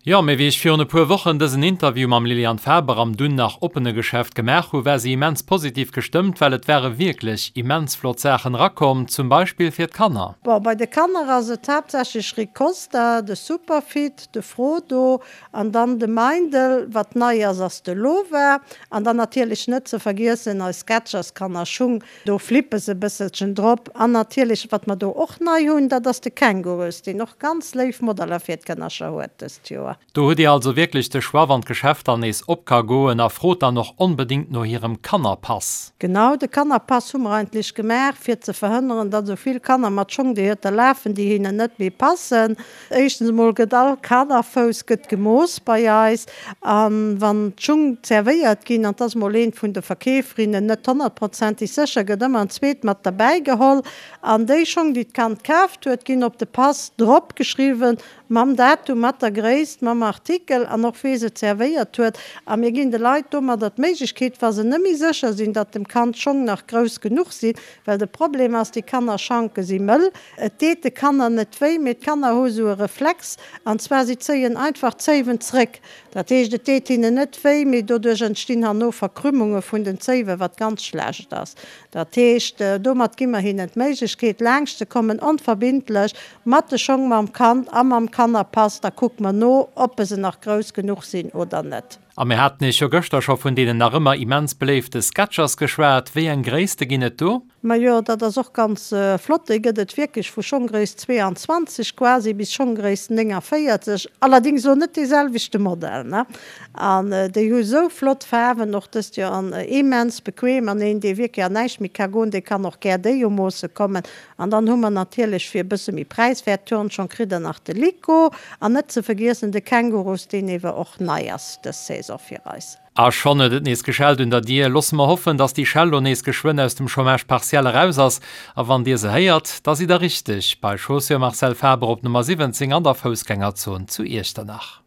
Jo, mee wéi ech virun e puer Wochen dësen Interview mam Liliane Faber am dunn nach oppene Geschäft gemaach hu, war si immens positiv gestëmmt, well et ware wierklech immens flott Saachen erakomm, zum Beispill fir d'Kanner. Bon, bei de Kanner ass et haaptsächlech Ricosta, de Superfit, de Frodo an dann de Meindl. Wat nei ass, ass de Lova an dann natierlech net ze vergiessen eis Sketchers Kannerschung. Do flippe se e bësselchen drop. An natierlech, wat mer do och nei hunn, dat ass de Kängurus, deen och ganz léif Modeller fir d'Kënnercher huet dëst Joer. Do hutt Dir also wierklech de Choix, wann d'Geschäft dann nees op ka goen. A frot dann och onbedéngt no hirem Kannerpass. Genau, de Kannerpass hu mer eigentlech gemaach, fir ze verhënneren, datt esou vill Kanner mat Schong dohier lafen, déi hinnen net méi passen. Éischtens emol gëtt all Kaderfouss gëtt gemooss bei eis an wann d'Schung zerwéiert ginn, an 't ass mol eent vun de Verkeeferinnen net honnertprozenteg sécher, gëtt ëmmer en zweet mat derbäi geholl an déi Schong déi d'Kand kaaft huet ginn op de Pass drop geschriwwen mam Datum, mat der Gréisst, mam Artikel an och wee se zerwéiert huet a mir ginn de Leit domadder d'Méiglechkeet, wa se net méi sécher sinn, datt dem Kand d'Schong nach grouss genuch sinn, well de Problem ass, déi Kannerschanke si mëll. Et deet de Kanner net wéi, mee d'Kanner hu sou e Reflex, an zwar si zéien einfach d'Zéiwen zréck. Dat heescht, et deet hinnen net wéi, mee doduerch entstinn herno Verkrümmunge vun den Zéiwen, wat ganz schlecht ass. Dat heescht, domat gi mer hinnen d'Méiglechkeet, laanscht ze kommen, onverbindlech, mat de Schong, mam Kand a mam Kannerpass. Da kucke mer no, ob se nach grouss genuch sinn oder net. A mir haten Iech jo gëschter scho vun deenen nach ëmmer immens beléifte Sketchers geschwat. Wéi eng Gréisste ginn et do? Majo, dat ass och ganz flott. Déi gëtt et wierklech vu Schonggréisst 22 quasi bis Schonggréisst 49. Allerdings elo net dee selwechte Modell, ne? An déi hu sou flott Faarwen och dëst Joer an immens bequem. An een, dee wierklech an näischt méi ka goen, dee kann och gär déi umoosse kommen. An dann hu mer natierlech fir e bësse méi präiswäert Turnschong kritt der nach de Lyco an net ze vergiessen de Kängurus, deen ewer och nei ass dës Saison fir eis. A schonn huet et nees geschellt un der Dier. Loosse mer hoffen, dass déi Schell lo nees geschwënn aus dem Chômage partiel eraus ass. A wann Dir se héiert, da sidd Der richteg bei Chaussures Marcel Faber op Nummer 17 an der Foussgängerzon zu Iechternach.